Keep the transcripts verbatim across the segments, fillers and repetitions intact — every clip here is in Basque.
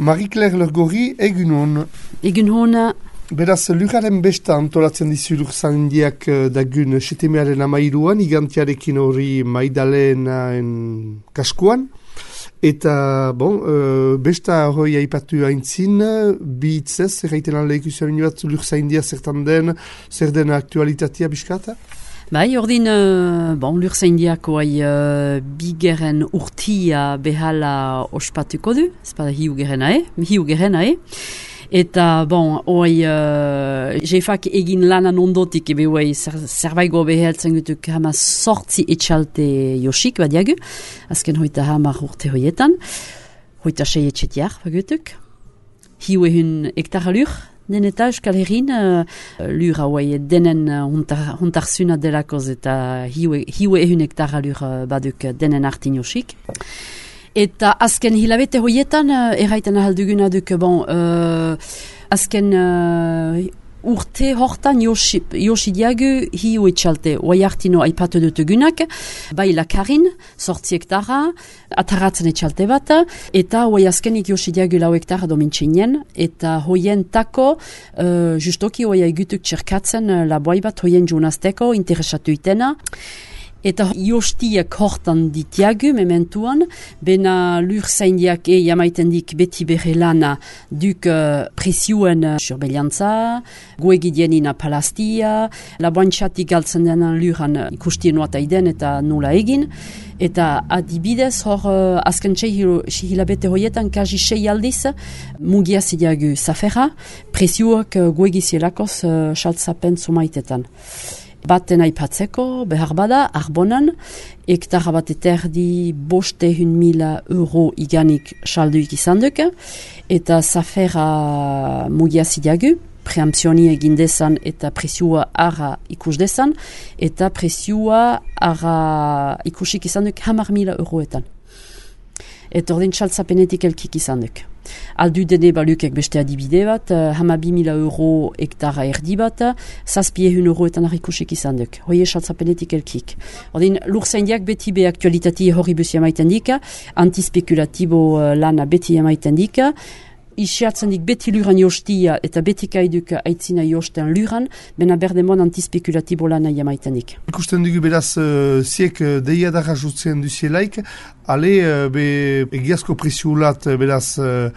Marie-Claire Lergori, egun hon. Egun hona. Beraz, lurraren besta antolatzen dizu lurzaindiak dagun setemearen amairuan, igantiarekin hori Maidalenaen kaskuan. Eta, bon, uh, besta hori aipatu haintzin, bi hitzez, erraiten aldeik usain bat lurzaindia zertan den, zer den aktualitatea biskata? Bai, ordin, uh, bon, lurzaindiako hai uh, bigeren urtia behala ospatuko du, ez bada hiu gerenae, hiu gerenae. Eta, bon, hoi, uh, jefak egin lanan ondotik, ebe hoi, zerbaigo beheltzen gutuk hama sortzi etxalte josik, badiagu, azken hoita hamar urte hoietan, hoita sei etxetiar, bagutuk. Hiu ehun hektara lur, den eta Euskal Herrin, uh, lur hauai denen hontar, hontarzuna delakoz eta hiu, hiu ehun hektara lur uh, baduk denen artin josik. Eta azken hilabete hoietan, uh, erraiten ahalduguna duk, bon, uh, azken uh, urte hortan josi, josi diagu hiu etxalte, oai hartino aipatu dutugunak, bai lakarin, sortzi hektara, ataratzen etxalte bat, eta oai azkenik josi diagu lau hektara domintxinen, eta hoien tako, uh, justoki oai egutuk txerkatzen uh, laboai bat hoien junazteko, interesatu itena. Eta jostiak hortan ditiagu, mementuan, bena lur zaindiak e jamaiten dik beti bere lana duk uh, presioen uh, surbeliantza, goegidienina palastia, laboantxatik galtzen denan luran uh, ikustien nuata iden eta nula egin. Eta adibidez hor uh, azken txai hilabete hoietan kaji sei aldiz mugia zidiagu zafera, presioak uh, goegizielakoz uh, saltzapen zumaitetan. Baten aipatzeko, behar bada, arbonan, hektara bat eterdi bostehun mila euro iganik salduik izan duk, eta zafera mugia zidiagu, preampzioni egin dezan eta presioa ara ikus dezan, eta presioa ara ikusik izan duk hamar mila euroetan. Eta ordin txaltzapenetik elkik izan duk. Aldu dene balukek beste adibide bat, uh, hama bi mila euro hektara erdi bat, zazpie hun euroetan harrikusik izan duk. Hoie txaltzapenetik elkik. Ordin, lurzaindiak beti be aktualitati horri busi amaiten dika, antispekulatibo uh, lana beti amaiten dika, isiatzen dik beti luran jostia eta beti kaiduk aitzina josten luran, bena berdemon antispekulatibo lana jamaiten dik. Ikusten dugu beraz, uh, ziek uh, deia dara jutzen duzielaik, ale uh, be egiazko presiulat uh, beraz uh,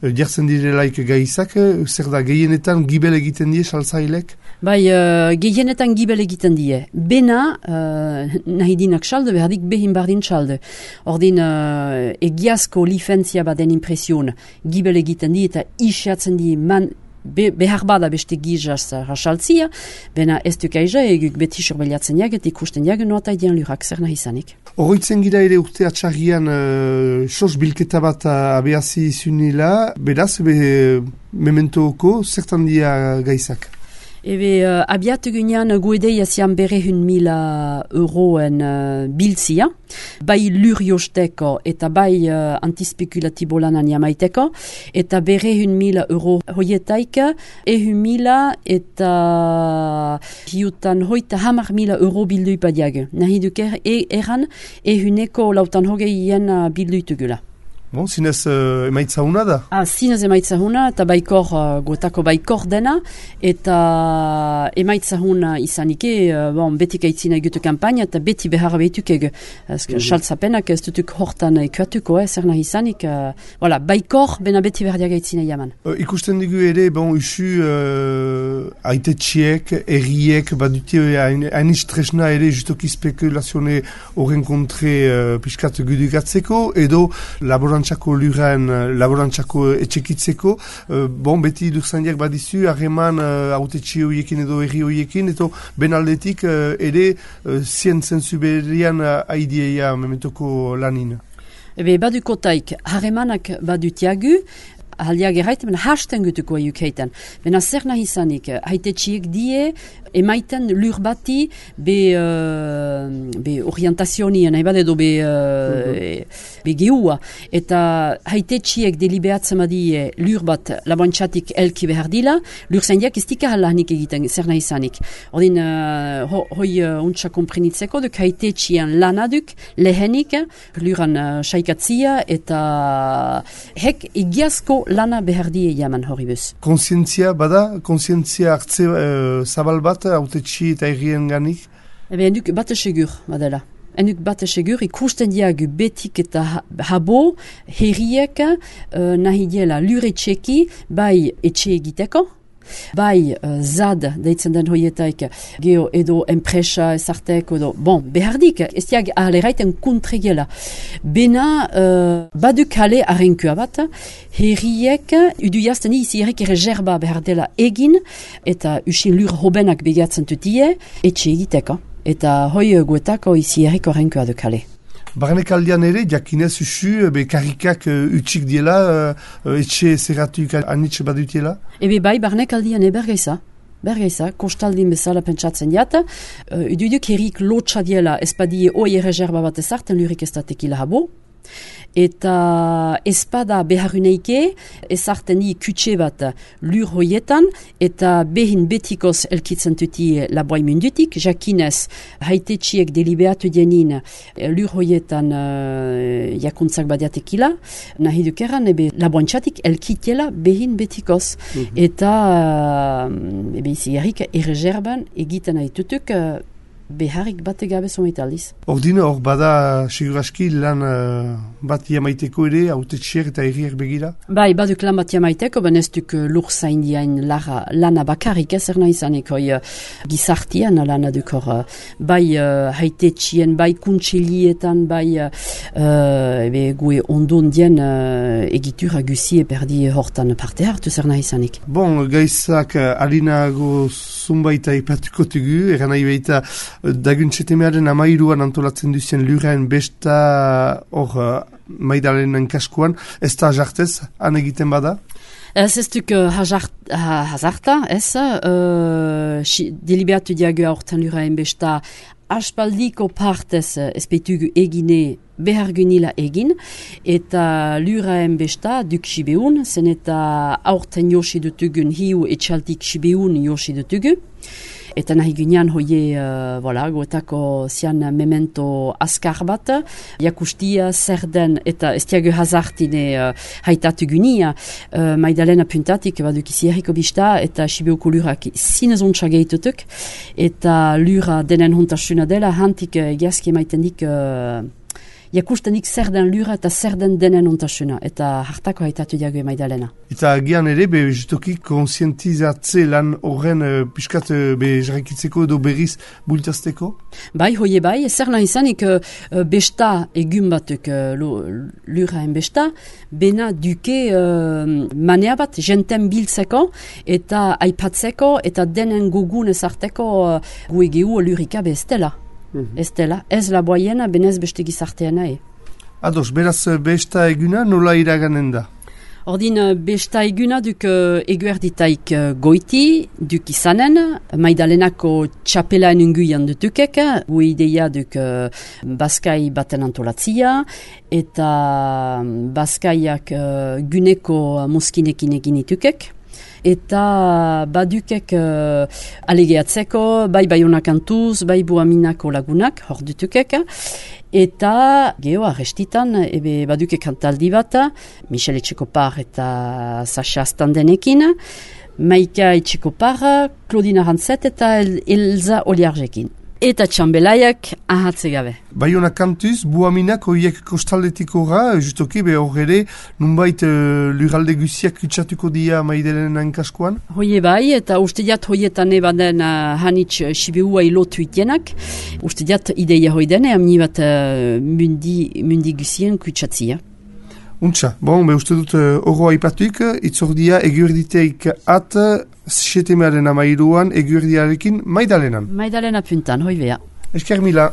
jartzen direlaik gaizak, uh, zer da gehienetan gibel egiten die saltzailek? Bai, uh, gehienetan gibel egiten die. Bena, uh, nahi dinak salde, behardik behin bardin salde. Ordin, uh, egiazko lifentzia baden impresion, gibel egiten die eta isiatzen die man, be, behar bada beste gizaz rasaltzia, bena ez duk aiza eguk beti sorbeliatzen jak eta ikusten jak noata idean lurak zer nahi izanik. Horroitzen gira ere urte atxarrian uh, sos bilketa bat abeazi zunila, beraz, be, mementoko zertan dia gaizak? Ebe, uh, abiatu gunean guedeia zian bere hun mila euroen uh, biltzia, bai lur josteko eta bai uh, antispekulatibo lanan jamaiteko, eta bere hun mila euro hoietaik, e hun mila eta hiutan hoita hamar mila euro bildu ipadiago. Nahi duker e eran, e huneko lautan hogeien uh, bildu itugula. Bon, zinez uh, emaitza huna da? Ah, zinez emaitza huna, eta baikor, uh, gotako baikor dena, eta emaitza huna izanike, uh, bon, betik aitzina egutu kampaina, eta beti behar behituk egu. Ezke, mm-hmm. Saltzapenak ez dutuk hortan ekuatuko, eh, zer nahi izanik. Uh, voilà, baikor, bena beti behar aitzina jaman. Uh, ikusten dugu ere, bon, usu, uh, aitetxiek, erriek, badute hain istresna ere, justoki spekulazione horren kontre uh, piskat gudugatzeko, edo laboran laborantzako luren, laborantzako etxekitzeko, uh, bon, beti lurzaindiak badizu, harreman uh, autetxe horiekin edo herri horiekin, eto benaldetik uh, ere uh, zientzen zuberian uh, aidieia mementoko lanin. Ebe, baduko taik, harremanak badutiagu, Haldiak erraiten, bena hasten gutuko eukeitan. Bena zer nahi izanik, haitetxiek die, emaiten lur bati, be, uh, be orientazioni, nahi bat edo be, uh, mm-hmm. be geua. Eta haitetxiek delibeatzen badie lur bat laboantxatik elki behar dila, lur zaindiak ez dika halanik egiten, zer nahi izanik. Ordin, uh, ho, hoi uh, untsa komprenitzeko, duk haitetxian lanaduk, lehenik, luran uh, saikatzia, eta hek egiazko Hortako lana behar die jaman hori buz. Konsientzia bada, konsientzia hartze uh, zabal bat, autetxi eta errien ganik? Ebe, enduk bat segur, badela. Enduk bat segur, ikusten diagu betik eta habo, herriek uh, nahi diela lure txeki, bai etxe egiteko, bai uh, zad, deitzen den hoietaik, geho edo enpresa ezarteko edo, bon, behardik, ez diag aleraiten kontregela. Bena, uh, badu kale arrenkua bat, herriek, udu jazten izi herrik erreserba behar dela egin, eta usin lur hobenak begatzen tutie, etxe egiteko. Eta hoi guetako izi herriko arrenkua du kale. Barnek aldean ere, jakinez usu, be karrikak uh, utxik diela, uh, etxe zerratuik anitxe badutiela? Ebe bai, barnek aldean e bergeiza. Bergeiza, kostaldin bezala pentsatzen jata. Uh, Ududuk herrik lotxa diela, espadie oi erreserba bat ezarten lurik ez da tekila habo. Eta espada beharuneike ezarten di kutxe bat lur hoietan eta behin betikoz elkitzen tuti laboai mundutik, jakinez haitetxiek deliberatu dienin lur hoietan uh, jakuntzak badiatekila, nahi dukeran ebe laboantxatik elkitiela behin betikoz. Mm-hmm. Eta uh, ebe izi herrik erreserban egiten haitutuk uh, beharrik bate gabe zometaliz. Ordine hor bada seguraski lan uh, bat jamaiteko ere, autetxiek eta herriak begira? Bai, baduk lan bat jamaiteko, ben ez duk uh, lur zaindiain lara, lana bakarrik ez erna izanik, hoi uh, gizartian lana duk hor, uh, bai uh, haitetxien, bai kuntxilietan, bai uh, uh, ebe gue ondon dien uh, egitura guzie perdi hortan parte hartu zerna izanik. Bon, gaizak uh, alinago zumbaita ipatuko tugu, eran nahi baita daguntxetemearen amairuan antolatzen duzien luraen besta hor uh, Maidalenen kaskuan, ez da jartez, han egiten bada? Ez ez duk uh, hazarta, ez, uh, deliberatu diagu aurten luraen besta aspaldiko partez ezpeitugu egine behargunila egin, eta luraen besta duk sibeun, zen eta aurten josi dutugun hiu etxaltik sibeun josi dutugu. Eta nahi ginean hoie, uh, voilà, goetako zian memento askar bat, jakustia zer den, eta ez diago hazartine uh, haitatu gunia, uh, Maidalena puntatik baduk izi herriko bista, eta Sibeuko lurak zinez ontsa gehitutuk, eta lura denen hontasuna dela, hantik uh, egiazki emaiten dik uh, jakustenik zer den lura eta zer den denen ontasuna, eta hartako haitatu diago Maidalena. Eta gian ere, be, justoki konsientizatze lan horren uh, piskat uh, be jarrikitzeko edo berriz bultazteko? Bai, hoie bai, zer nahi izanik uh, besta egun batuk uh, luraen besta, bena duke uh, manea bat jenten biltzeko eta aipatzeko eta denen gugun ezarteko uh, guegeu lurika bestela. Mm-hmm. Ez dela, ez laboaiena, benez beste gizarteena e. Ados, beraz besta eguna nola iraganen da? Ordin, besta eguna duk uh, eguerditaik uh, goiti, duk izanen, Maidalenako txapelaen unguian dutukek, gu ideia duk uh, Baskai baten antolatzia, eta Baskaiak uh, guneko moskinekin egin itukek. Eta badukek uh, alegeatzeko, bai Baionak antuz, bai Buaminako lagunak, hor dutukek. Eta geho arrestitan, ebe badukek kantaldi bat, Michel Etxekopar eta Sasha Standenekin, Maika Etxekopar, Claudine Arantzet eta El Elza Oliarjekin. Eta txambelaiak ahatze gabe. Baionak kantuz, Buaminak horiek kostaldetik horra, justoki be hor ere, nunbait uh, luralde guziak kutsatuko dia Maidalenen kaskoan? Hoie bai, eta uste diat hoietan ebaden uh, hanitz uh, Sibeua ilotu itenak. Uste diat ideia hoidene, amni bat uh, mundi, mundi guzien kutsatzia. Untxa, bon, be uste dut horro uh, aipatuik, itzordia eguerditeik at, setemearen amairuan, eguerdiarekin Maidalenan. Maidalena puntan, hoi bea. Esker mila.